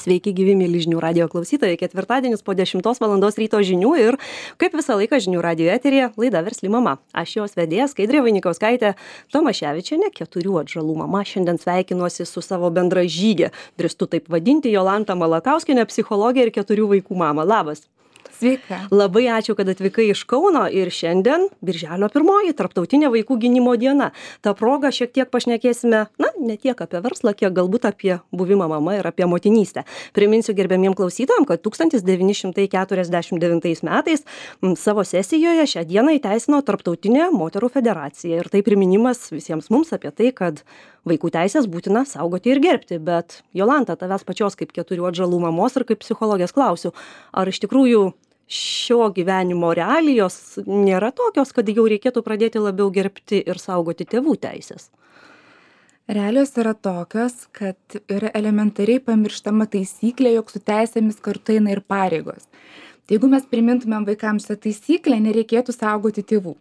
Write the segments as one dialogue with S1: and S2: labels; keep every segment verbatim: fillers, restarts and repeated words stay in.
S1: Sveiki, gyvi mėly žinių radijo klausytojai. Ketvirtadienis po dešimtos valandos ryto žinių ir kaip visą laiką žinių radijo eteryje laida Versli mama. Aš jos vedėja Skaidrė Vainikauskaitė Tomaševičienė, keturių atžalų mama. Šiandien sveikinuosi su savo bendražygė, drįstu taip vadinti, Jolanta Malakauskienė, psichologė ir keturių vaikų mama. Labas.
S2: Sveika.
S1: Labai ačiū, kad atvykai iš Kauno ir šiandien Birželio pirmoji Tarptautinė vaikų gynimo diena. Ta proga šiek tiek pašnekėsime, na, ne tiek apie verslą, kiek galbūt apie buvimą mama ir apie motinystę. Priminsiu gerbiamiem klausytojam, kad tūkstantis devyni šimtai keturiasdešimt devintais metais m, savo sesijoje šią dieną įteisino Tarptautinė moterų federacija. Ir tai priminimas visiems mums apie tai, kad vaikų teisės būtina saugoti ir gerbti. Bet Jolanta, tavęs pačios kaip keturių atžalų mamos ir kaip psichologės klausiu, ar iš tikrųjų šio gyvenimo realijos nėra tokios, kad jau reikėtų pradėti labiau gerbti ir saugoti tėvų teisės?
S2: Realijos yra tokios, kad yra elementariai pamirštama taisyklė, jog su teisėmis kartu eina ir pareigos. Tai jeigu mes primintumėm vaikams šią taisyklę, nereikėtų saugoti tėvų.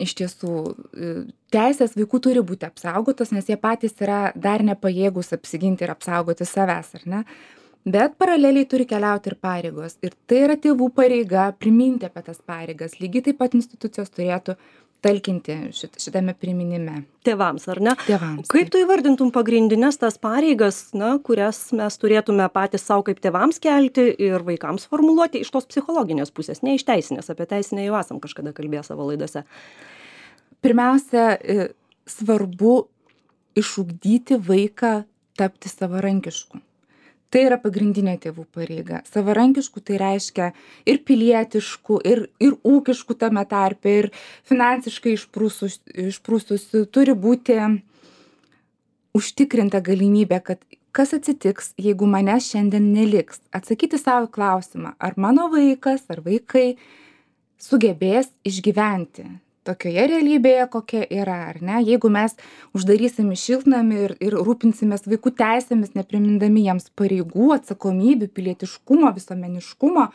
S2: Iš tiesų, teisės vaikų turi būti apsaugotos, nes jie patys yra dar nepajėgūs apsiginti ir apsaugoti savęs, ar ne? Bet paraleliai turi keliauti ir pareigos. Ir tai yra tėvų pareiga priminti apie tas pareigas. Lygiai taip pat institucijos turėtų talkinti šit, šitame priminime.
S1: Tėvams, ar ne?
S2: Tėvams.
S1: Kaip tu įvardintum pagrindinės tas pareigas, na, kurias mes turėtume patys savo kaip tėvams kelti ir vaikams formuluoti iš tos psichologinės pusės, ne iš teisinės. Apie teisinę jau esam kažkada kalbėję savo laidose.
S2: Pirmiausia, svarbu išugdyti vaiką tapti savarankišku. Tai yra pagrindinė tėvų pareiga. Savarankiškų tai reiškia ir pilietiškų, ir, ir ūkiškų tame tarpe, ir finansiškai išprūsus, išprūsusių. Turi būti užtikrinta galimybė, kad kas atsitiks, jeigu manęs šiandien neliks. Atsakyti savo klausimą, ar mano vaikas, ar vaikai sugebės išgyventi tokioje realybėje, kokia yra, ar ne? Jeigu mes uždarysim į šiltnamį ir, ir rūpinsimės vaikų teisėmis, neprimindami jiems pareigų, atsakomybių, pilietiškumo, visuomeniškumo,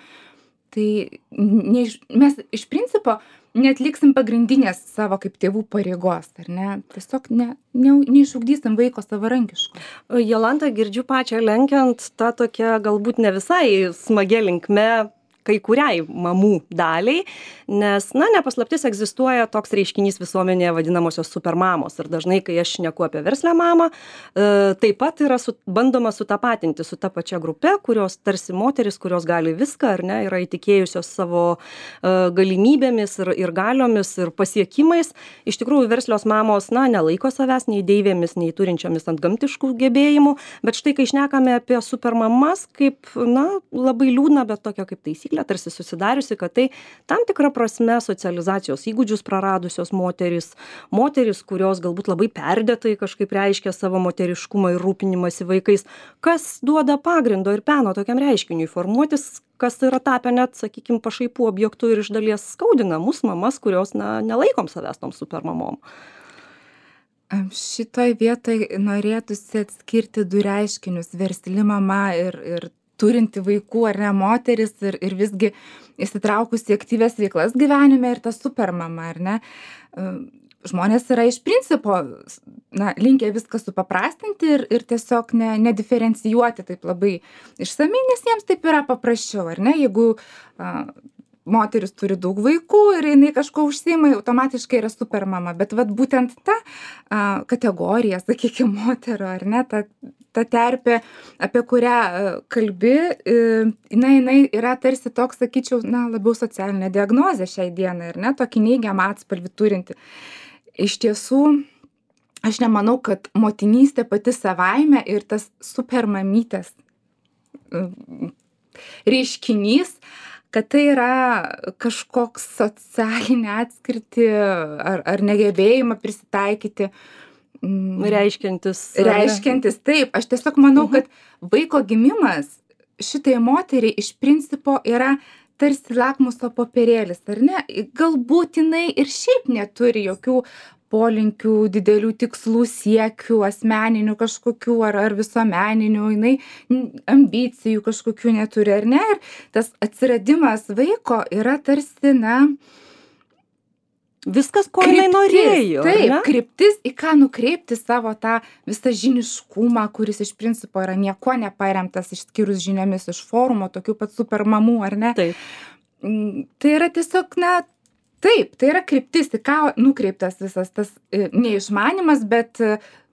S2: tai ne, mes iš principo neatliksim pagrindinės savo kaip tėvų pareigos, ar ne? Tiesiog ne, ne, neišugdysim vaiko savarankiško.
S1: Jolanta, girdžiu pačią lenkiant tą tokią galbūt ne visai smagia linkme kai kuriai mamų daliai, nes, na, nepaslaptis egzistuoja toks reiškinys visuomenėje vadinamosios supermamos. Ir dažnai, kai aš šneku apie verslę mamą, e, taip pat yra su, bandoma sutapatinti su ta pačia grupe, kurios tarsi moteris, kurios gali viską, ar ne, yra įtikėjusios savo e, galimybėmis ir, ir galiomis ir pasiekimais. Iš tikrųjų, verslios mamos, na, nelaiko savęs nei deivėmis, nei turinčiomis ant gamtiškų gebėjimų, bet štai, kai šnekame apie supermamas, kaip, na, labai liūdna, bet tokia kaip taisyklė, tarsi susidariusi, kad tai tam tikra prasme socializacijos įgūdžius praradusios moterys, moterys, kurios galbūt labai perdėtai kažkaip reiškia savo moteriškumą ir rūpinimąsi vaikais, kas duoda pagrindo ir peno tokiam reiškiniui formuotis, kas yra tapę net, sakykime, pašaipų objektų ir iš dalies skaudina mus mamas, kurios, na, nelaikom savęs tom supermamom.
S2: Šitoj vietoj norėtųsi atskirti du reiškinius - versli mama ir, ir turinti vaikų ar ne moteris ir, ir visgi įsitraukusi aktyvias veiklas gyvenime ir ta supermama, ar ne. Žmonės yra iš principo, na, linkę viską supaprastinti ir, ir tiesiog ne, nediferencijuoti taip labai išsamiai, nes jiems taip yra paprasčiau, ar ne. Jeigu a, moteris turi daug vaikų ir jinai kažko užsiima, automatiškai yra supermama. Bet vat būtent ta a, kategorija, sakykime, moterų, ar ne, ta, ta terpė, apie kurią a, kalbi, e, jinai, jinai yra tarsi toks, sakyčiau, na, labiau socialinė diagnozė šiai dienai, ar ne, tokį neigiamą atspalvį turinti. Iš tiesų, aš nemanau, kad motinystė pati savaime ir tas supermamytės reiškinys, kad tai yra kažkoks socialinė atskirti ar, ar negebėjimą prisitaikyti.
S1: Reiškiantis.
S2: Reiškiantis, taip. Aš tiesiog manau, kad vaiko gimimas šitai moteriai iš principo yra tarsi lakmuso popierėlis, ar ne? Galbūt jinai ir šiaip neturi jokių polinkių, didelių tikslų, siekių, asmeninių kažkokių ar, ar visuomeninių, jinai ambicijų kažkokių neturi, ar ne? Ir tas atsiradimas vaiko yra tarsi, na,
S1: Viskas, ko jinai norėjo.
S2: Taip,
S1: ne?
S2: kryptis, į ką nukreipti savo tą visą žiniškumą, kuris iš principo yra nieko neparemtas išskyrus žiniomis iš forumo, tokių pat super mamų, ar ne?
S1: Taip.
S2: Tai yra tiesiog, na, taip, tai yra kryptis, į ką nukreiptas visas tas neišmanimas, bet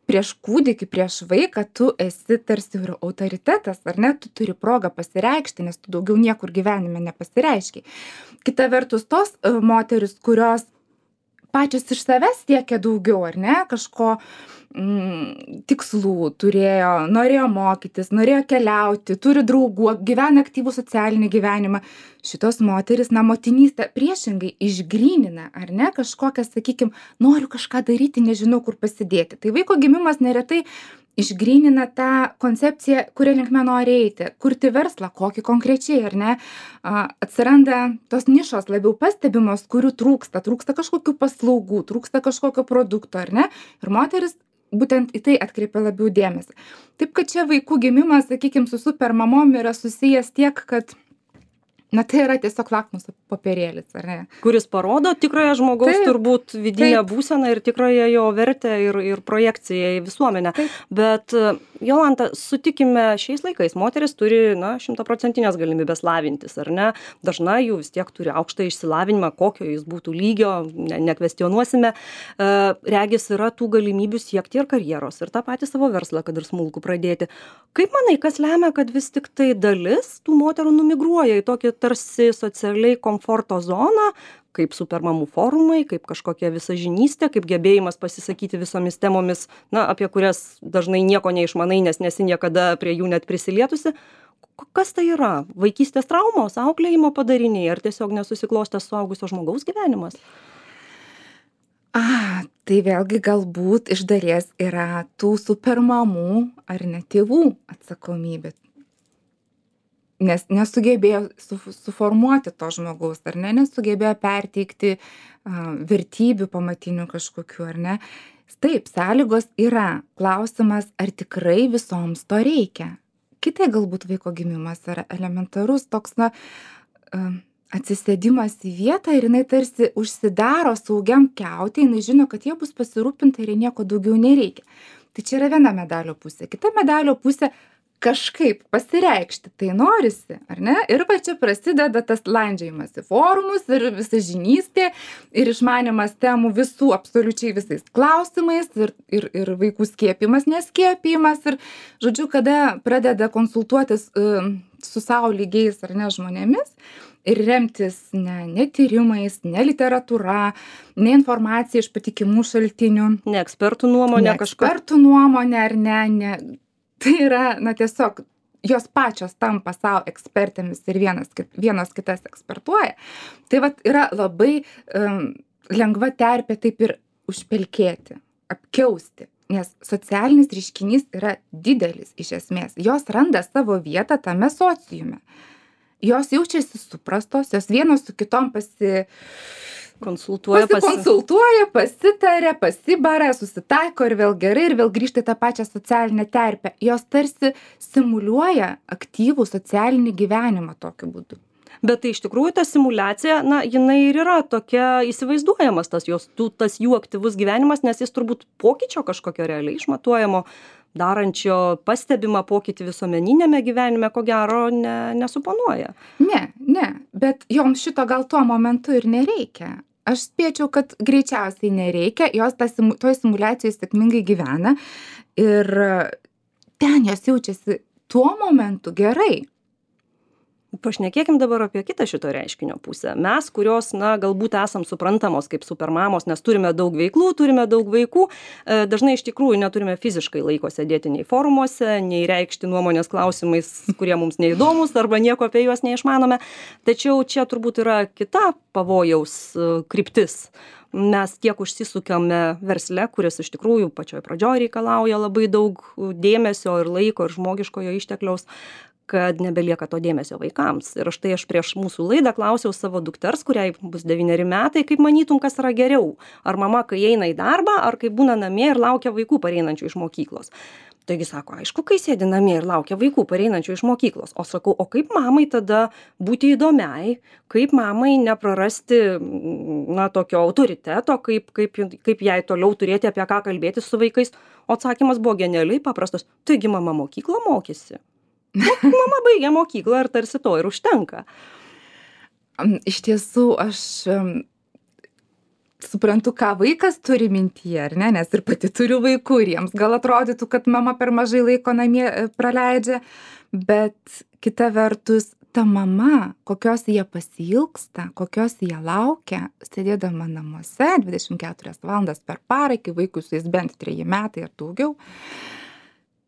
S2: prieš kūdikį, prieš vaiką tu esi tarsi ir autoritetas, ar ne? Tu turi progą pasireikšti, nes tu daugiau niekur gyvenime nepasireiškiai. Kita vertus, tos moteris, kurios pačios iš savęs siekia daugiau, ar ne, kažko mm, tikslų turėjo, norėjo mokytis, norėjo keliauti, turi draugų, gyvena aktyvų socialinį gyvenimą. Šitos moteris, na, motinystę priešingai išgrynina, ar ne, kažkokią, sakykim, noriu kažką daryti, nežinau, kur pasidėti. Tai vaiko gimimas neretai išgrynina tą koncepciją, kuria linkme nori eiti, kurti verslą, kokį konkrečiai, ar ne, atsiranda tos nišos labiau pastebimos, kurių trūksta, trūksta kažkokių paslaugų, trūksta kažkokio produkto, ar ne, ir moteris būtent į tai atkreipia labiau dėmesį. Taip, kad čia vaikų gimimas, sakykim, su super mamom yra susijęs tiek, kad na, tai yra tiesiog lakmuso popierėlis, ar ne?
S1: Kuris parodo tikrąją žmogaus
S2: Taip,
S1: turbūt vidinę
S2: taip.
S1: būseną ir tikrąją jo vertę ir, ir projekciją į visuomenę.
S2: Taip.
S1: Bet, Jolanta, sutikime, šiais laikais moteris turi, na, šimtaprocentinės galimybės lavintis, ar ne? Dažnai jų vis tiek turi aukštą išsilavinimą, kokio jis būtų lygio, ne, nekvestionuosime. Regis yra tų galimybių siekti ir karjeros, ir tą patį savo verslą, kad ir smulkų pradėti. Kaip manai, kas lemia, kad vis tik tai dalis tų moterų numigruoja į tokį tarsi socialiai komforto zoną, kaip supermamų forumai, kaip kažkokia visažinystė, kaip gebėjimas pasisakyti visomis temomis, na, apie kurias dažnai nieko neišmanai, nes nesi niekada prie jų net prisilietusi. Kas tai yra? Vaikystės traumos, auklėjimo padariniai, ar tiesiog nesusiklostęs suaugusio žmogaus gyvenimas?
S2: A, tai vėlgi galbūt iš dalies yra tų supermamų ar ne tėvų atsakomybė. Nes nesugebėjo su, suformuoti to žmogaus, ar ne, nesugebėjo perteikti uh, vertybių pamatinių kažkokių, ar ne. Taip, sąlygos yra. Klausimas, ar tikrai visoms to reikia. Kitai galbūt vaiko gimimas yra elementarus toks, na, uh, atsisėdimas į vietą ir jinai tarsi užsidaro saugiam kiautė, jinai žino, kad jie bus pasirūpinta ir nieko daugiau nereikia. Tai čia yra viena medalio pusė. Kita medalio pusė kažkaip pasireikšti, tai norisi, ar ne? Ir va čia prasideda tas landžiojimas į forumus ir visažinystė ir išmanimas temų visų absoliučiai visais klausimais ir, ir, ir vaikų skiepimas, neskiepimas ir, žodžiu, kada pradeda konsultuotis uh, su savo lygiais ar ne žmonėmis ir remtis ne, ne tyrimais, ne literatūra, ne informacija iš patikimų šaltinių.
S1: Ne ekspertų nuomonė
S2: ne
S1: kažko.
S2: Ekspertų nuomonė ar ne, ne. Tai yra, na, tiesiog jos pačios tampa savo ekspertėmis ir vienas, vienos kitas ekspertuoja. Tai vat yra labai um, lengva terpė taip ir užpelkėti, apkiausti, nes socialinis reiškinys yra didelis iš esmės. Jos randa savo vietą tame sociume. Jos jaučiasi suprastos, jos vienos su kitom pasi...
S1: Konsultuoja,
S2: pasikonsultuoja, pasitarė, pasibara, susitaiko ir vėl gerai, ir vėl grįžta į tą pačią socialinę terpę. Jos tarsi simuliuoja aktyvų socialinį gyvenimą tokiu būdu.
S1: Bet tai iš tikrųjų ta simuliacija, na, jinai ir yra tokia įsivaizduojamas tas, jos, tas jų aktyvus gyvenimas, nes jis turbūt pokyčio kažkokio realiai išmatuojamo, darančio pastebimą pokytį visuomeninėme gyvenime, ko gero, ne, nesuponuoja.
S2: Ne, ne, bet joms šito gal tuo momentu ir nereikia. Aš spėčiau, kad greičiausiai nereikia, jos ta, toj simuliacijai sėkmingai gyvena ir ten jos jaučiasi tuo momentu gerai.
S1: Pašnekėkim dabar apie kitą šito reiškinio pusę. Mes, kurios, na, galbūt esam suprantamos kaip supermamos, nes turime daug veiklų, turime daug vaikų, dažnai iš tikrųjų neturime fiziškai laiko sėdėti nei forumuose, nei reikšti nuomonės klausimais, kurie mums neįdomus arba nieko apie juos neišmanome. Tačiau čia turbūt yra kita pavojaus kryptis. Mes tiek užsisukame versle, kuris iš tikrųjų pačioj pradžioj reikalauja labai daug dėmesio ir laiko ir žmogiškojo ištekliaus. kad nebelieka to dėmesio vaikams. Ir štai aš prieš mūsų laidą klausiau savo dukters, kuriai bus devyneri metai, kaip manytum, kas yra geriau. Ar mama, kai eina į darbą, ar kai būna namie ir laukia vaikų pareinančių iš mokyklos. Taigi sako, aišku, kai sėdi namie ir laukia vaikų pareinančių iš mokyklos. O sakau, o kaip mamai tada būti įdomiai, kaip mamai neprarasti, na, tokio autoriteto, kaip, kaip, kaip jai toliau turėti apie ką kalbėti su vaikais. O atsakymas buvo genialiai paprastas. Taigi mama mokyklą mokėsi. Mama baigė mokyklą ir tarsi to ir užtenka.
S2: Iš tiesų, aš suprantu, ką vaikas turi mintyje, ar ne, nes ir pati turiu vaikų ir jiems gal atrodytų, kad mama per mažai laiko namie praleidžia, bet kita vertus, ta mama, kokios jie pasiilgsta, kokios jie laukia, sėdėdama namuose dvidešimt keturias valandas per parą, iki vaikui su jais bent treji metai ar daugiau,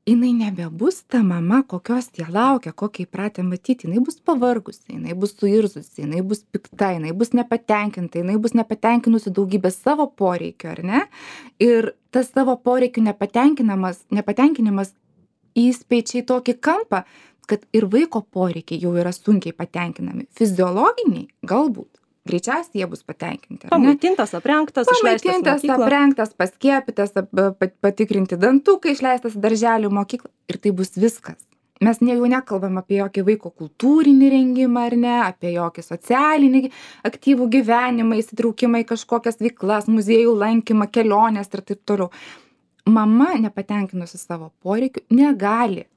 S2: jinai nebebus ta mama, kokios jie laukia, kokią įpratę matyti, jinai bus pavargusi, jinai bus suirzusi, jinai bus pikta, jinai bus nepatenkinta, jinai bus nepatenkinusi daugybę savo poreikio, ar ne? Ir tas savo poreikių nepatenkinimas, nepatenkinimas įspeičia į tokį kampą, kad ir vaiko poreikiai jau yra sunkiai patenkinami. Fiziologiniai galbūt. Greičiausiai jie bus patenkinti.
S1: Pamaitintas, aprengtas, išleistas į mokyklą.
S2: Aprengtas, paskiepytas, patikrinti dantukai, išleistas į darželį, mokyklą. Ir tai bus viskas. Mes ne, jau nekalbam apie jokį vaiko kultūrinį rengimą, ar ne, apie jokį socialinį aktyvų gyvenimą, įsitraukimą į kažkokias veiklas, muziejų lankymą, kelionės ir taip toliau. Mama, nepatenkinusi savo poreikių, negali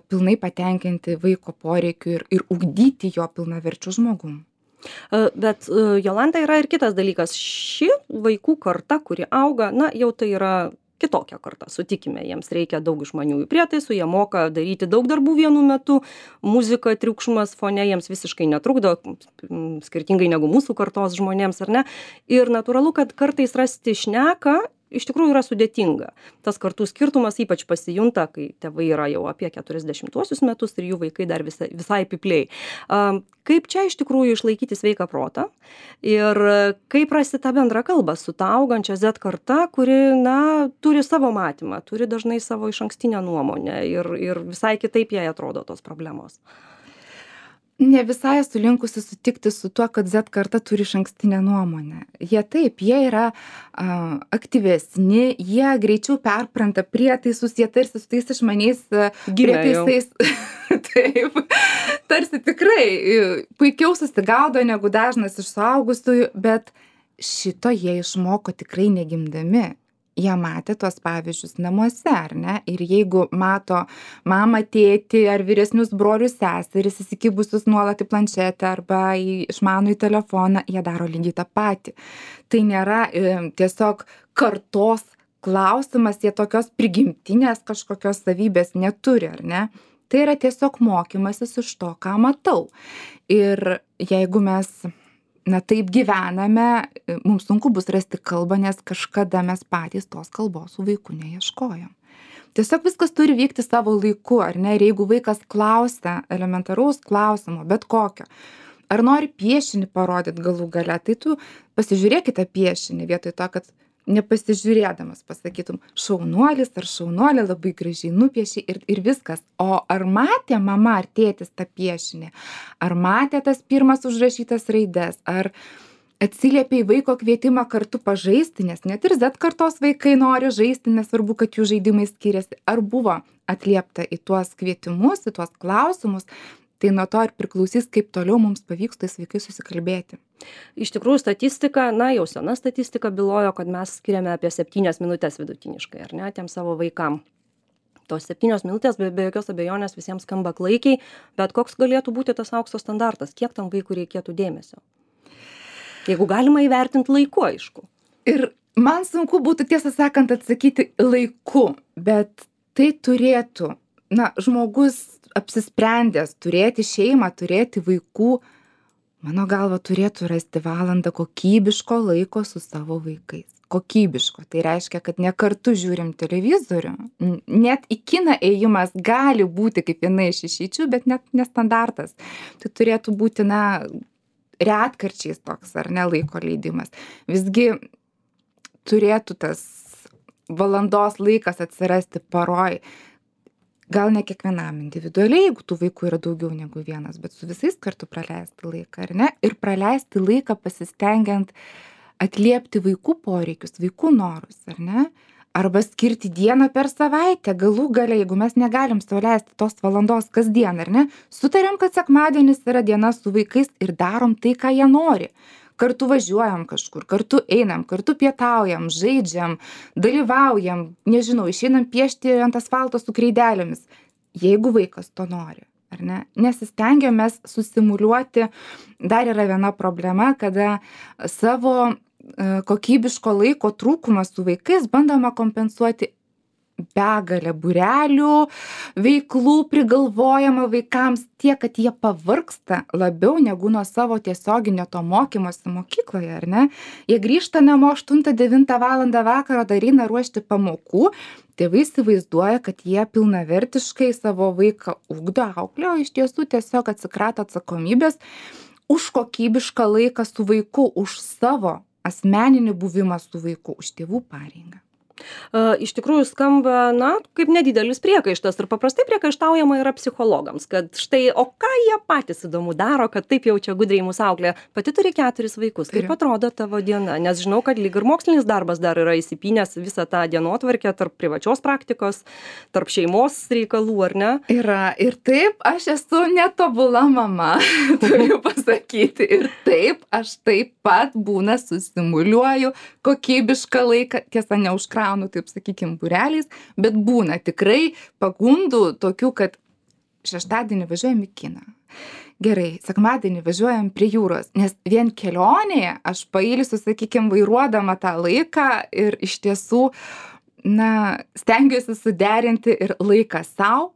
S2: pilnai patenkinti vaiko poreikių ir, ir ugdyti jo pilnaverčių žmogum.
S1: Bet Jolanta, yra ir kitas dalykas. Ši vaikų karta, kuri auga, na, jau tai yra kitokia karta, sutikime, jiems reikia daug išmaniųjų prietaisų, jie moka daryti daug darbų vienu metu, muzika, triukšmas fone jiems visiškai netrukdo, skirtingai negu mūsų kartos žmonėms, ar ne? Ir natūralu, kad kartais rasti šneką iš tikrųjų yra sudėtinga. Tas kartų skirtumas ypač pasijunta, kai tėvai yra jau apie keturiasdešimtuosius metus ir jų vaikai dar visai, visai pipliai. Kaip čia iš tikrųjų išlaikyti sveiką protą ir kaip rasti tą bendrą kalbą su ta augančia Z karta, kuri, na, turi savo matymą, turi dažnai savo išankstinę nuomonę ir, ir visai kitaip jai atrodo tos problemos.
S2: Ne visai esu linkusi sutikti su tuo, kad Z karta turi išankstinę nuomonę. Jie taip, jie yra a, aktyvesni, jie greičiau perpranta prietaisus, jie tarsi su tais išmaniais prietaisais. Taip, tarsi tikrai puikiau susigaudo negu dažnas iš suaugusiųjų, bet šito jie išmoko tikrai negimdami. Jie matė tuos pavyzdžius namuose, ar ne? Ir jeigu mato mamą, tėtį ar vyresnius brolius, seseris įsikibusius nuolat į planšetę arba į išmanųjį telefoną, jie daro lygiai tą patį. Tai nėra e, tiesiog kartos klausimas, jie tokios prigimtinės kažkokios savybės neturi, ar ne? Tai yra tiesiog mokymasis iš to, ką matau. Ir jeigu mes na taip gyvename, mums sunku bus rasti kalbą, nes kažkada mes patys tos kalbos su vaiku neieškojom. Tiesiog viskas turi vykti savo laiku, ar ne? Ir jeigu vaikas klausia elementaraus klausimo, bet kokio, ar nori piešinį parodyti galų gale, tai tu pasižiūrėkite piešinį vietoj to, kad nepasižiūrėdamas pasakytum, šaunuolis ar šaunuolė labai gražiai nupieši ir, ir viskas. O ar matė mama ar tėtis tą piešinį? Ar matė tas pirmas užrašytas raides? Ar atsiliepė į vaiko kvietimą kartu pažaisti? Nes net ir Z kartos vaikai nori žaisti, nesvarbu, kad jų žaidimai skiriasi. Ar buvo atliepta į tuos kvietimus, į tuos klausimus? Tai nuo to ir priklausys, kaip toliau mums pavyks tais vaikais susikalbėti.
S1: Iš tikrųjų, statistika, na, jau sena statistika bylojo, kad mes skiriame apie septynias minutės vidutiniškai, ar ne, tiem savo vaikam. Tos septynios minutės be, be jokios abejonės visiems skamba klaikiai, bet koks galėtų būti tas aukso standartas, kiek tam vaikui reikėtų dėmesio? Jeigu galima įvertinti laiku, aišku.
S2: Ir man sunku būtų, tiesą sakant, atsakyti laiku, bet tai turėtų, na, žmogus apsisprendęs turėti šeimą, turėti vaikų, mano galva, turėtų rasti valandą kokybiško laiko su savo vaikais. Kokybiško. Tai reiškia, kad ne kartu žiūrim televizorių. Net į kiną ėjimas gali būti kaip viena iš išeičių, bet net nestandartas. Tai turėtų būti, na, retkarčiais toks, ar ne, laiko leidimas. Visgi turėtų tas valandos laikas atsirasti paroj. gal ne kiekvienam individualiai, jeigu tų vaikų yra daugiau negu vienas, bet su visais kartu praleisti laiką, ar ne? Ir praleisti laiką pasistengiant atliepti vaikų poreikius, vaikų norus, ar ne? Arba skirti dieną per savaitę, galų gale, jeigu mes negalim sau leisti tos valandos kasdien, ar ne? Sutariam, kad sekmadienis yra diena su vaikais ir darom tai, ką jie nori. Kartu važiuojam kažkur, kartu einam, kartu pietaujam, žaidžiam, dalyvaujam, nežinau, išeinam piešti ant asfalto su kreidelėmis, jeigu vaikas to nori, ar ne? Nesistengiam mes susimuliuoti. Dar yra viena problema, kada savo kokybiško laiko trūkumą su vaikais bandoma kompensuoti begalę būrelių, veiklų prigalvojama vaikams tiek, kad jie pavargsta labiau negu nuo savo tiesioginio to mokymosi mokykloje, ar ne? Jie grįžta namo aštuntą devintą valandą vakaro, dar eina ruošti pamokų, tėvai įsivaizduoja, kad jie pilnavertiškai savo vaiką ugdo, auklėjo, iš tiesų tiesiog atsikrato atsakomybės už kokybišką laiką su vaiku, už savo asmeninį buvimą su vaiku, už tėvų pareigą.
S1: Iš tikrųjų skamba, na, kaip nedidelis priekaištas ir paprastai priekaištaujama yra psichologams, kad štai, o ką jie patys įdomu daro, kad taip jau čia gudriai mūsų auklė. Pati turi keturis vaikus. Kaip atrodo tavo diena? Nes žinau, kad lyg ir mokslinis darbas dar yra įsipynęs visą tą dienotvarkę tarp privačios praktikos, tarp šeimos reikalų, ar ne?
S2: Yra. Ir taip, aš esu netobula mama, turiu pasakyti. Ir taip, aš taip pat būna susimuliuoju kokybišką laiką, tiesa, neužkraunu, taip sakykim, būreliais, bet būna tikrai pagundų tokių, kad šeštadienį važiuojam į kiną. Gerai, sekmadienį važiuojam prie jūros, nes vien kelionėje aš pailsiu, sakykim, vairuodama tą laiką ir iš tiesų, na, stengiuosi suderinti ir laiką sau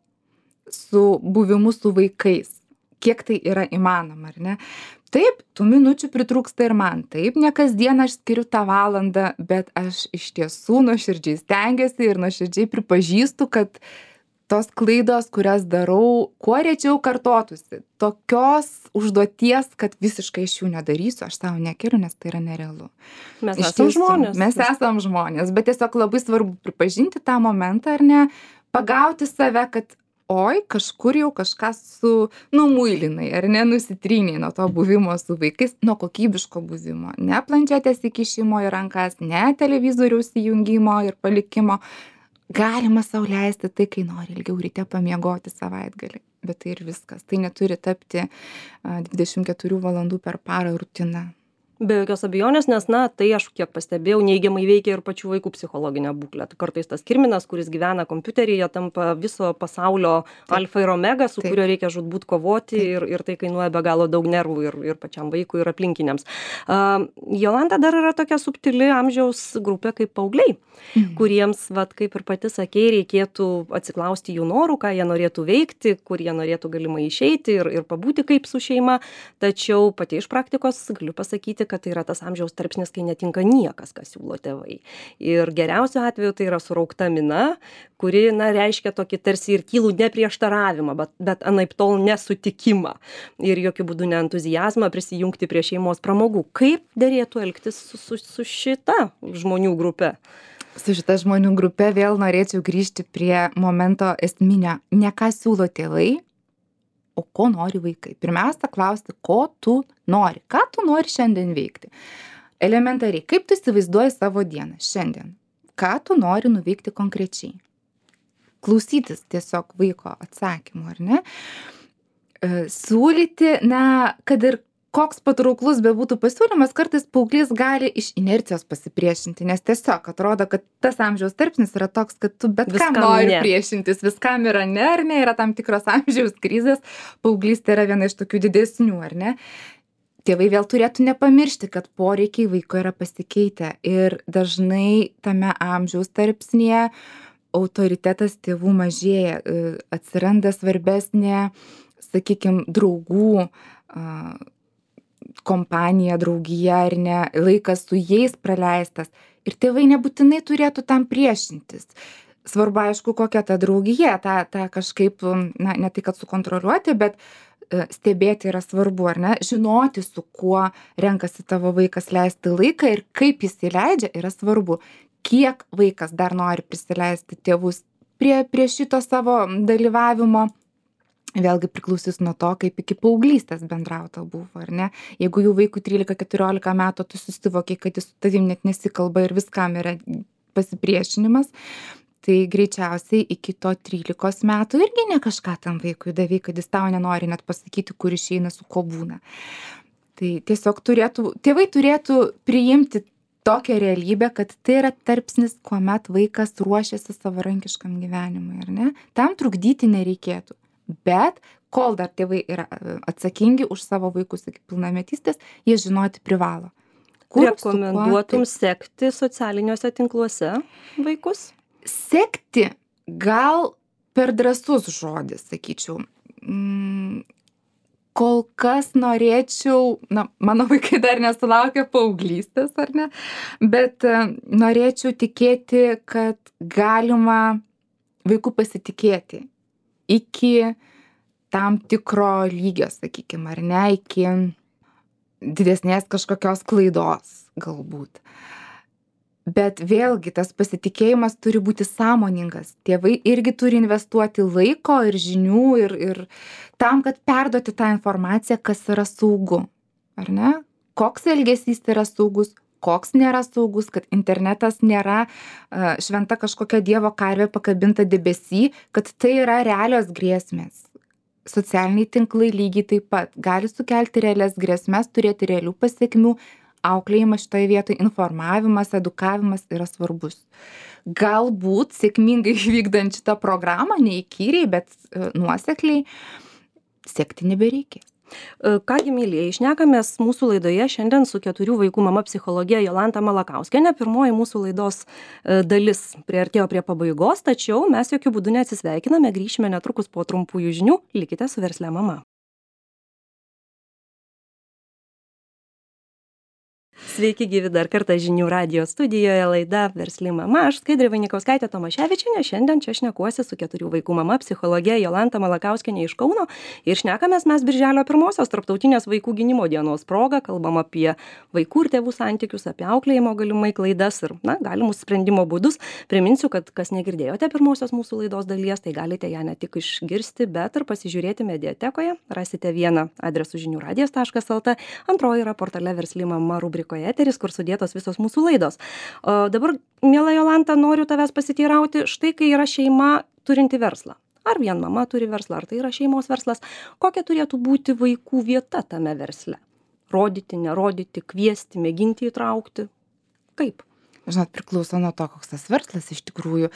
S2: su buvimu su vaikais. Kiek tai yra įmanoma, ar ne? Taip, tų minučių pritrūksta ir man. Taip, ne kasdien aš skiriu tą valandą, bet aš iš tiesų nuoširdžiai stengiuosi ir nuoširdžiai pripažįstu, kad tos klaidos, kurias darau, kuo rečiau kartotųsi. Tokios užduoties, kad visiškai iš jų nedarysiu, aš savo nekeliu, nes tai yra nerealu.
S1: Mes esam žmonės.
S2: Mes esam žmonės, bet tiesiog labai svarbu pripažinti tą momentą, ar ne, pagauti save, kad oi, kažkur jau kažką su numuilinai, ar ne, nusitryniai nuo to buvimo su vaikais, nuo kokybiško buvimo. Ne planšetės įkišimo į rankas, ne televizoriaus įjungimo ir palikimo. Galima sau leisti tai, kai nori ilgiau ryte pamiegoti savaitgalį, bet tai ir viskas. Tai neturi tapti dvidešimt keturių valandų per parą rutina.
S1: Be jokios abejonės, nes, na, tai aš kiek pastebėjau, neigiamai veikia ir pačių vaikų psichologinę būklę. Kartais tas kirminas, kuris gyvena kompiuteryje, tampa viso pasaulio Taip. Alfa ir omega, su Taip. Kuriuo reikia žūtbūt kovoti ir, ir tai kainuoja be galo daug nervų ir, ir pačiam vaikui ir aplinkiniams. Uh, Jolanta, dar yra tokia subtili amžiaus grupė kaip paaugliai, mhm. kuriems, vat, kaip ir pati sakei, reikėtų atsiklausti jų norų, ką jie norėtų veikti, kur jie norėtų galimai išeiti ir, ir pabūti kaip su šeima. Tačiau pati iš praktikos galiu pasakyti, kad tai yra tas amžiaus tarpsnis, kai netinka niekas, kas siūlo tėvai. Ir geriausiu atveju tai yra suraukta mina, kuri, na, reiškia tokį tarsi ir tylų neprieštaravimą, bet, bet anaip tol nesutikimą ir jokių būdų ne entuziazmą prisijungti prie šeimos pramogų. Kaip derėtų elgtis su, su, su šita žmonių grupe?
S2: Su šita žmonių grupe vėl norėčiau grįžti prie momento esminio. Ne ką siūlo tėvai, o ko nori vaikai. Pirmiausia, klausti, ko tu nori, ką tu nori šiandien veikti. Elementariai, kaip tu įsivaizduoji savo dieną šiandien, ką tu nori nuveikti konkrečiai. Klausytis tiesiog vaiko atsakymų, ar ne? Siūlyti, na, kad ir koks patrauklus bebūtų pasiūlymas, kartais paauglys gali iš inercijos pasipriešinti, nes tiesiog atrodo, kad tas amžiaus tarpsnis yra toks, kad tu bet
S1: Viskam
S2: kam nori
S1: ne.
S2: priešintis, viskam yra ne, ar ne, yra tam tikros amžiaus krizės, paauglystė yra viena iš tokių didesnių, ar ne. Tėvai vėl turėtų nepamiršti, kad poreikiai vaiko yra pasikeitę ir dažnai tame amžiaus tarpsnyje autoritetas tėvų mažėja, atsiranda svarbesnė, sakykime, draugų kompanija, draugija ar ne, laikas su jais praleistas. Ir tėvai nebūtinai turėtų tam priešintis. Svarbu, aišku, kokia ta draugija, tą, tą kažkaip, na, ne tai, kad sukontroliuoti, bet stebėti yra svarbu, ar ne? Žinoti, su kuo renkasi tavo vaikas leisti laiką ir kaip jis įleidžia, yra svarbu. Kiek vaikas dar nori prisileisti tėvus prie, prie šito savo dalyvavimo. Vėlgi priklausys nuo to, kaip iki paauglystės bendrauta buvo, ar ne? Jeigu jau vaikui trylika keturiolika metų, tu susivokiai, kad jis su tavim net nesikalba ir viskam yra pasipriešinimas, tai greičiausiai iki to trylikos metų irgi ne kažką tam vaikui davei, kad jis tau nenori net pasakyti, kur išeina, su ko būna. Tai tiesiog turėtų, tėvai turėtų priimti tokią realybę, kad tai yra tarpsnis, kuomet vaikas ruošiasi savarankiškam gyvenimui, ar ne? Tam trukdyti nereikėtų. Bet kol dar tėvai yra atsakingi už savo vaikus iki pilnametystės, jie žinoti privalo.
S1: Kur rekomenduotum kuo, tai... sekti socialiniuose tinkluose vaikus?
S2: Sekti gal per drąsus žodis, sakyčiau. Mm, kol kas norėčiau, na, mano vaikai dar nesulaukia paauglystės, ar ne, bet norėčiau tikėti, kad galima vaikų pasitikėti iki tam tikro lygio, sakykime, ar ne, iki didesnės kažkokios klaidos galbūt. Bet vėlgi tas pasitikėjimas turi būti sąmoningas. Tėvai irgi turi investuoti laiko ir žinių ir, ir tam, kad perduoti tą informaciją, kas yra saugu, ar ne? Koks elgesys yra saugus, koks nėra saugus, kad internetas nėra uh, šventa kažkokia dievo karvė pakabinta debesy, kad tai yra realios grėsmės. Socialiniai tinklai lygiai taip pat gali sukelti realias grėsmės, turėti realių pasiekmių. Auklėjimas šitoje vietoje, informavimas, edukavimas yra svarbus. Galbūt sėkmingai vykdant šitą programą, neįkyriai, bet uh, nuosekliai, sekti nebereikia.
S1: Kągi, mylėjai, šnekamės mūsų laidoje šiandien su keturių vaikų mama psichologė Jolanta Malakauskienė. Pirmoji mūsų laidos dalis priartėjo prie pabaigos, tačiau mes jokių būdų neatsisveikiname, grįšime netrukus po trumpųjų žinių. Likite su Verslia mama. Sveiki gyvi dar kartą žinių radijo studijoje, laida Versli mama. Aš Skaidrė Vainikauskaitė Tomaševičienė. Šiandien čia šnekuosi su keturių vaikų mama psichologė Jolanta Malakauskienė iš Kauno. Ir šnekamės mes birželio pirmosios tarptautinės vaikų gynimo dienos proga. Kalbam apie vaikų ir tėvų santykius, apie auklėjimo galimai klaidas ir na, galimus sprendimo būdus. Priminsiu, kad kas negirdėjote pirmosios mūsų laidos dalies, tai galite ją ne tik išgirsti, bet ir pasižiūrėti mediatekoje. Rasite vieną adresu žinių radijas taškas lt, antroji yra portale Versli mama rubrikoje eteris, kur sudėtos visos mūsų laidos. O dabar, miela Jolanta, noriu tavęs pasiteirauti, štai kai yra šeima turinti verslą. Ar vien mama turi verslą, ar tai yra šeimos verslas, kokia turėtų būti vaikų vieta tame versle? Rodyti, nerodyti, kviesti, mėginti įtraukti? Kaip?
S2: Žinot, priklauso nuo to, koks tas verslas iš tikrųjų.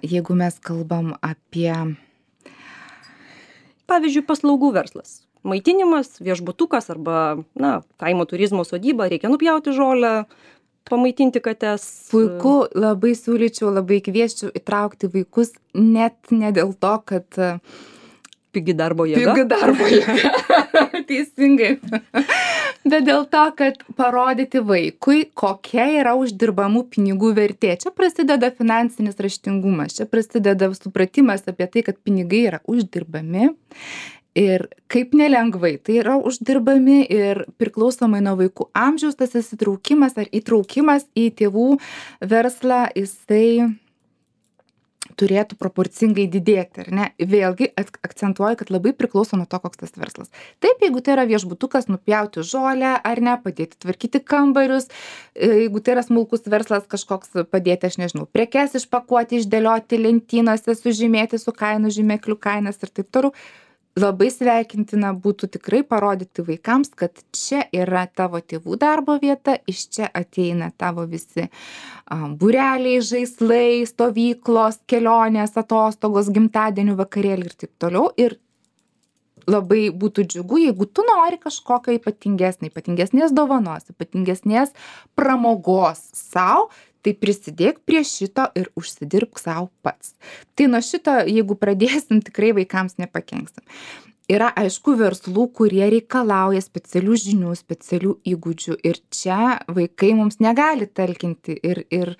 S2: Jeigu mes kalbam apie...
S1: Pavyzdžiui, paslaugų verslas. Maitinimas, viešbutukas arba, na, kaimo turizmo sodyba, reikia nupjauti žolę, pamaitinti kates.
S2: Puiku, labai siūlyčiau, labai kvieščiau įtraukti vaikus, net ne dėl to, kad...
S1: Pigi darbo jėga.
S2: Pigi darbo jėga, teisingai. Bet dėl to, kad parodyti vaikui, kokia yra uždirbamų pinigų vertė. Čia prasideda finansinis raštingumas, čia prasideda supratimas apie tai, kad pinigai yra uždirbami. Ir kaip nelengvai tai yra uždirbami ir priklausomai nuo vaikų amžiaus tas įsitraukimas ar įtraukimas į tėvų verslą, jisai turėtų proporcingai didėti, ar ne? Vėlgi akcentuoju, kad labai priklauso nuo to, koks tas verslas. Taip, jeigu tai yra viešbutukas, nupjauti žolę, ar ne, padėti tvarkyti kambarius, jeigu tai yra smulkus verslas kažkoks, padėti, aš nežinau, prekes išpakuoti, išdėlioti lentynose, sužymėti su kainų žymeklių kainas ir taip toliau. Labai sveikintina būtų tikrai parodyti vaikams, kad čia yra tavo tėvų darbo vieta, iš čia ateina tavo visi um, būreliai, žaislai, stovyklos, kelionės, atostogos, gimtadienių vakarėliai ir taip toliau. Ir labai būtų džiugu, jeigu tu nori kažkokio ypatingesnio, ypatingesnės dovanos, ypatingesnės pramogos sau, tai prisidėk prie šito ir užsidirbk sau pats. Tai nuo šito, jeigu pradėsim, tikrai vaikams nepakenksim. Yra aišku verslų, kurie reikalauja specialių žinių, specialių įgūdžių ir čia vaikai mums negali talkinti ir, ir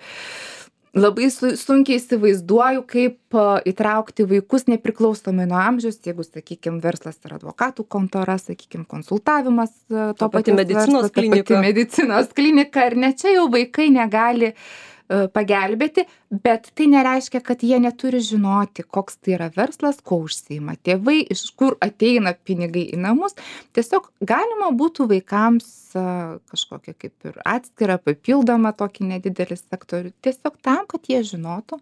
S2: labai sunkiai įsivaizduoju, kaip įtraukti vaikus nepriklausomai nuo amžiaus, jeigu, sakykime, verslas yra advokatų kontora, sakykime, konsultavimas, to
S1: pati medicinos klinika.
S2: Pati medicinos klinika, ar ne, čia jau vaikai negali pagelbėti, bet tai nereiškia, kad jie neturi žinoti, koks tai yra verslas, ko užsiima tėvai, iš kur ateina pinigai į namus. Tiesiog galima būtų vaikams kažkokią kaip ir atskirą, papildomą tokį nedidelį sektorių, tiesiog tam, kad jie žinotų,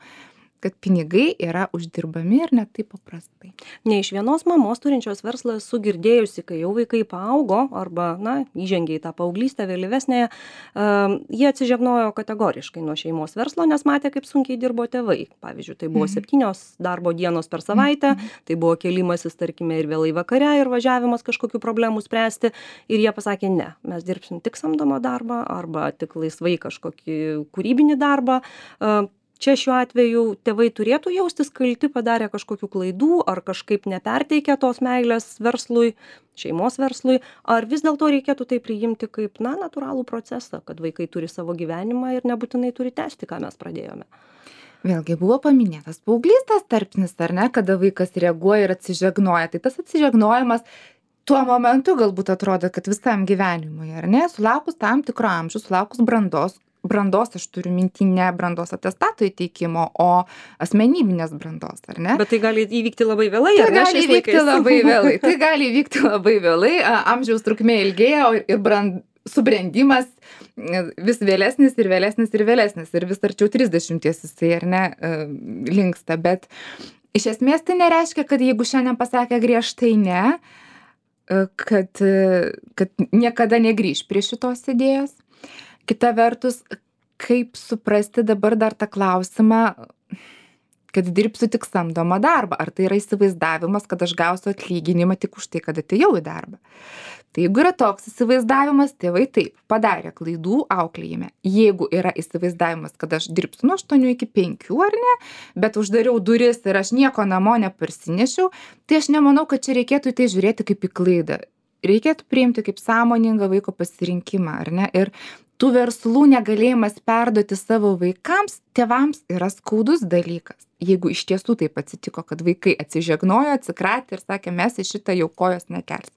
S2: kad pinigai yra uždirbami ir ne taip paprastai.
S1: Ne iš vienos mamos turinčios verslą esu girdėjusi, kai jau vaikai paaugo arba, na, įžengė į tą paauglystę vėlyvesnėje, uh, jie atsižegnojo kategoriškai nuo šeimos verslo, nes matė, kaip sunkiai dirbo tėvai. Pavyzdžiui, tai buvo septynios darbo dienos per savaitę, tai buvo kėlimasis, tarkime, ir vėlai vakare, ir važiavimas kažkokių problemų spręsti. Ir jie pasakė, ne, mes dirbsim tik samdomą darbą arba tik laisvai kažkokį kūrybinį darbą. Uh, Čia šiuo atveju tėvai turėtų jaustis kalti, padarė kažkokių klaidų ar kažkaip neperteikia tos meilės verslui, šeimos verslui, ar vis dėlto reikėtų tai priimti kaip, na, natūralų procesą, kad vaikai turi savo gyvenimą ir nebūtinai turi tęsti, ką mes pradėjome.
S2: Vėlgi buvo paminėtas paauglystės tarpsnis, ar ne, kada vaikas reaguoja ir atsižegnoja. Tai tas atsižegnojimas tuo momentu galbūt atrodo, kad visam gyvenimui, ar ne, sulaukus tam tikro amžiaus, sulaukus brandos, brandos, aš turiu minty ne brandos atestato įteikimo, o asmenybinės brandos, ar ne?
S1: Bet tai gali įvykti labai vėlai,
S2: tai
S1: ar ne?
S2: Gali įvykti labai vėlai. Tai gali įvykti labai vėlai, amžiaus trukmė ilgėja ir brand, subrendimas vis vėlesnis ir vėlesnis ir vėlesnis ir vis arčiau trisdešimties jisai, ar ne, linksta. Bet iš esmės tai nereiškia, kad jeigu šiandien pasakė griežtai ne, kad, kad niekada negrįš prie šitos idėjos. Kita vertus, kaip suprasti dabar dar tą klausimą, kad dirbsiu tik samdomą darbą. Ar tai yra įsivaizdavimas, kad aš gausiu atlyginimą tik už tai, kad atėjau į darbą. Tai jeigu yra toks įsivaizdavimas, tėvai taip padarė klaidų auklėjime. Jeigu yra įsivaizdavimas, kad aš dirbsiu nuo aštuonių iki penkių ar ne, bet uždariau duris ir aš nieko namo neparsinešiau, tai aš nemanau, kad čia reikėtų į tai žiūrėti kaip į klaidą. Reikėtų priimti kaip sąmoningą vaiko pasirinkimą, ar ne? Ir tų verslų negalėjimas perduoti savo vaikams, tėvams yra skaudus dalykas. Jeigu iš tiesų taip atsitiko, kad vaikai atsižegnojo, atsikratė ir sakė, mes į šitą jau kojos nekelsim.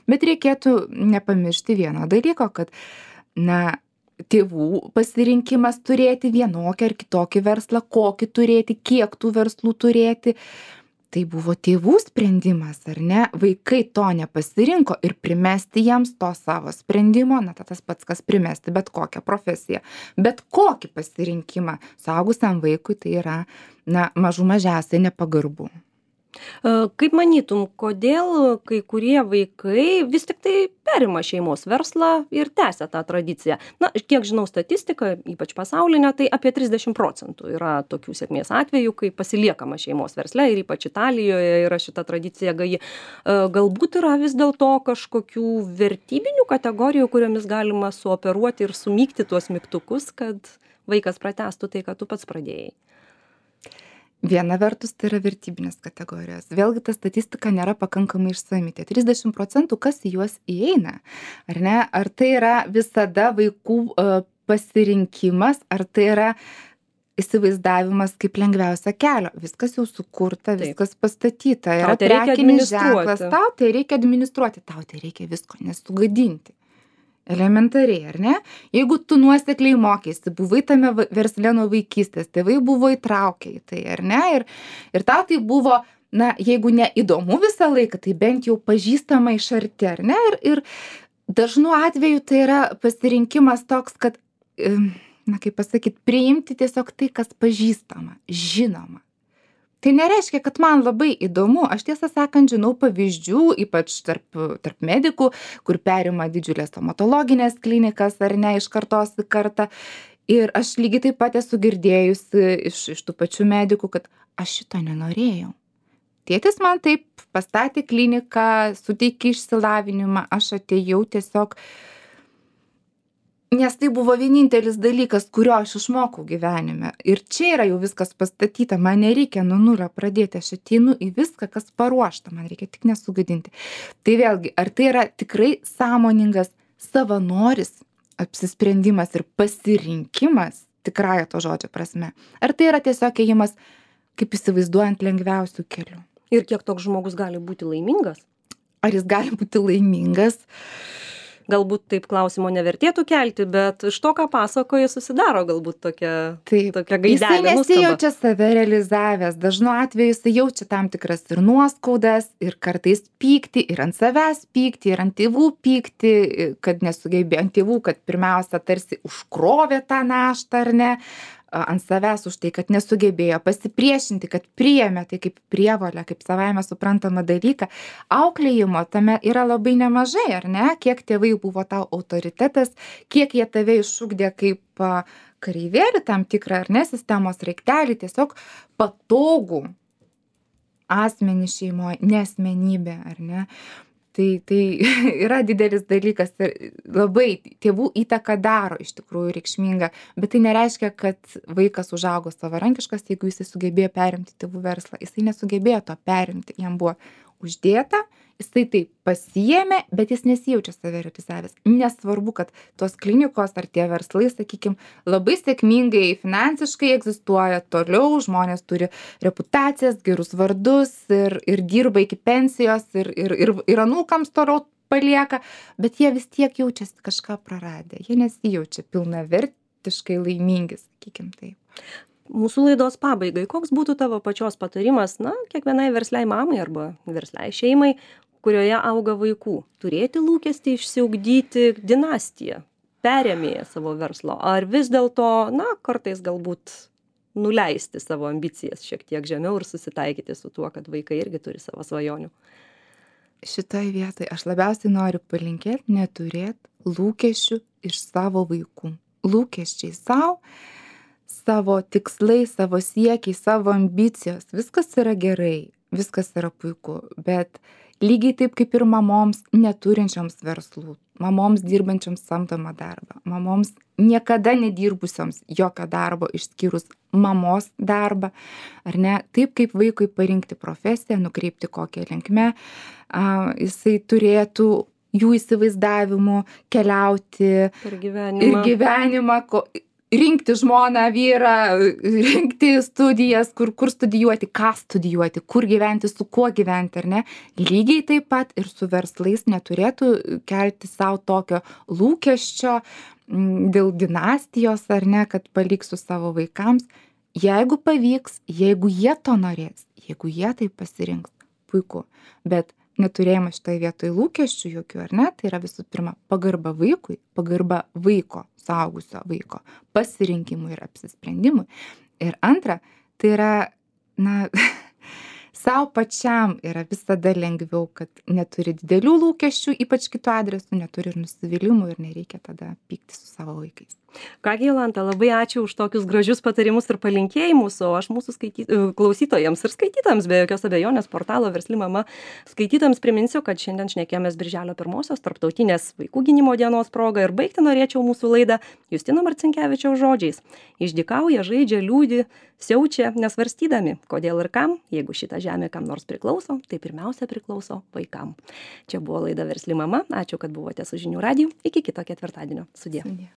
S2: Bet reikėtų nepamiršti vieno dalyko, kad, na, tėvų pasirinkimas turėti vienokį ar kitokį verslą, kokį turėti, kiek tų verslų turėti, tai buvo tėvų sprendimas, ar ne? Vaikai to nepasirinko ir primesti jiems to savo sprendimo, na, tas pats, kas primesti bet kokią profesiją, bet kokį pasirinkimą suaugusiam vaikui tai yra, na, mažų mažiausiai nepagarbu.
S1: Kaip manytum, kodėl kai kurie vaikai vis tik tai perima šeimos verslą ir tęsia tą tradiciją? Na, kiek žinau statistiką, ypač pasaulinę, tai apie trisdešimt procentų yra tokių sėkmės atvejų, kai pasiliekama šeimos versle ir ypač Italijoje yra šita tradicija gaji. Galbūt yra vis dėlto kažkokių vertybinių kategorijų, kuriomis galima suoperuoti ir sumygti tuos mygtukus, kad vaikas pratęstų tai, ką tu pats pradėjai.
S2: Viena vertus tai yra vertybinės kategorijos. Vėlgi ta statistika nėra pakankamai išsami. Tie trisdešimt procentų kas į juos įeina, ar ne? Ar tai yra visada vaikų uh, pasirinkimas, ar tai yra įsivaizdavimas kaip lengviausia kelio. Viskas jau sukurta, Taip. Viskas pastatyta. Yra prekinis ženklas. Tau tai reikia administruoti, tau tai reikia visko nesugadinti. Elementariai, ar ne? Jeigu tu nuosekliai mokėsi, buvai tame versle nuo vaikystės, tėvai buvo įtraukę į tai, ar ne? Ir, ir tau tai buvo, na, jeigu ne įdomu visą laiką, tai bent jau pažįstama iš arti, ar ne? Ir, ir dažnu atveju tai yra pasirinkimas toks, kad, na, kaip pasakyti, priimti tiesiog tai, kas pažįstama, žinoma. Tai nereiškia, kad man labai įdomu. Aš tiesą sakant, žinau pavyzdžių, ypač tarp, tarp medikų, kur perima didžiulės stomatologinės klinikas ar ne iš kartos į kartą. Ir aš lygiai taip pat esu girdėjusi iš, iš tų pačių medikų, kad aš šito nenorėjau. Tėtis man taip pastatė kliniką, suteikė išsilavinimą, aš atėjau tiesiog, nes tai buvo vienintelis dalykas, kurio aš išmokau gyvenime. Ir čia yra jau viskas pastatyta, man nereikia nuo nulio pradėti, aš ateinu į viską, kas paruošta, man reikia tik nesugadinti. Tai vėlgi, ar tai yra tikrai sąmoningas savanoris, apsisprendimas ir pasirinkimas, tikrąja to žodžio prasme? Ar tai yra tiesiog ėjimas, kaip įsivaizduojant, lengviausių kelių?
S1: Ir kiek toks žmogus gali būti laimingas?
S2: Ar jis gali būti laimingas?
S1: galbūt taip klausimo nevertėtų kelti, bet iš to, ką pasakoji, susidaro galbūt tokia,
S2: Taip.
S1: tokia
S2: Jisai
S1: gaidelė.
S2: nesijaučia save realizavęs. Dažnu atveju jisai jaučia tam tikras ir nuoskaudas, ir kartais pyktį, ir ant savęs pyktį, ir ant tėvų pyktį, kad nesugebėjo, ant tėvų, kad pirmiausia tarsi užkrovė tą naštą, ar ne, ant savęs už tai, kad nesugebėjo pasipriešinti, kad priėmė tai kaip prievolę, kaip savaime suprantamą dalyką. Auklėjimo tame yra labai nemažai, ar ne? Kiek tėvai buvo tau autoritetas, kiek jie tave išugdė kaip kareivėlį tam tikrą, ar ne, sistemos raiktelį, tiesiog patogų asmenį šeimoje, ne asmenybė, ar ne? Tai, tai yra didelis dalykas ir labai tėvų įtaka daro iš tikrųjų reikšminga, bet tai nereiškia, kad vaikas užaugo savarankiškas, jeigu jisai sugebėjo perimti tėvų verslą. Jisai nesugebėjo to perimti, jam buvo uždėta, jisai tai pasiėmė, bet jis nesijaučia save realizavęs. Nesvarbu, kad tos klinikos ar tie verslai, sakykime, labai sėkmingai finansiškai egzistuoja toliau, žmonės turi reputacijas, gerus vardus ir, ir dirba iki pensijos ir, ir, ir, ir anūkams toliau palieka, bet jie vis tiek jaučiasi kažką praradę. Jie nesijaučia pilnavertiškai laimingi, sakykime taip.
S1: Mūsų laidos pabaigai, koks būtų tavo pačios patarimas, na, kiekvienai versliai mamai arba versliai šeimai, kurioje auga vaikų, turėti lūkestį išsiugdyti dinastiją, perėmėję savo verslo, ar vis dėlto, na, kartais galbūt nuleisti savo ambicijas šiek tiek žemiau ir susitaikyti su tuo, kad vaikai irgi turi savo svajonių.
S2: Šitoj vietoj aš labiausiai noriu palinkėti neturėti lūkesčių iš savo vaikų. Lūkesčiai savo, savo tikslai, savo siekiai, savo ambicijos, viskas yra gerai, viskas yra puiku, bet lygiai taip kaip ir mamoms neturinčioms verslų, mamoms dirbančioms samdomą darbą, mamoms niekada nedirbusioms jokio darbo išskyrus mamos darbą, ar ne, taip kaip vaikui parinkti profesiją, nukreipti kokią linkmę, a, jisai turėtų jų įsivaizdavimu keliauti
S1: per gyvenimą,
S2: ir gyvenimą, ko, rinkti žmoną, vyrą, rinkti studijas, kur, kur studijuoti, ką studijuoti, kur gyventi, su kuo gyventi, ar ne. Lygiai taip pat ir su verslais neturėtų kelti savo tokio lūkesčio dėl dinastijos, ar ne, kad paliksiu savo vaikams. Jeigu pavyks, jeigu jie to norės, jeigu jie tai pasirinks, puiku. Bet neturėjimas šitoje vietoje lūkesčių jokių, ar ne, tai yra visų pirma pagarba vaikui, pagarba vaiko, suaugusio vaiko pasirinkimui ir apsisprendimui. Ir antra, tai yra, na, savo pačiam yra visada lengviau, kad neturi didelių lūkesčių, ypač kitų adresų, neturi ir nusivylimų ir nereikia tada pykti su savo vaikais.
S1: Kągi, Jolanta, labai ačiū už tokius gražius patarimus ir palinkėjimus, o aš mūsų skaity... klausytojams ir skaitytojams, be jokios abejonės, portalo Versli mama skaitytojams priminsiu, kad šiandien šnekėjomės Birželio pirmosios tarptautinės vaikų gynimo dienos proga ir baigti norėčiau mūsų laidą Justino Marcinkevičiaus žodžiais. Išdykauja, žaidžia, liūdi, siaučia, nesvarstydami, kodėl ir kam, jeigu šita žemė kam nors priklauso, tai pirmiausia priklauso vaikam. Čia buvo laida Versli mama, ačiū, kad buvote su Žinių radiju, iki kito ketvirtadienio. Sudie. Sudie.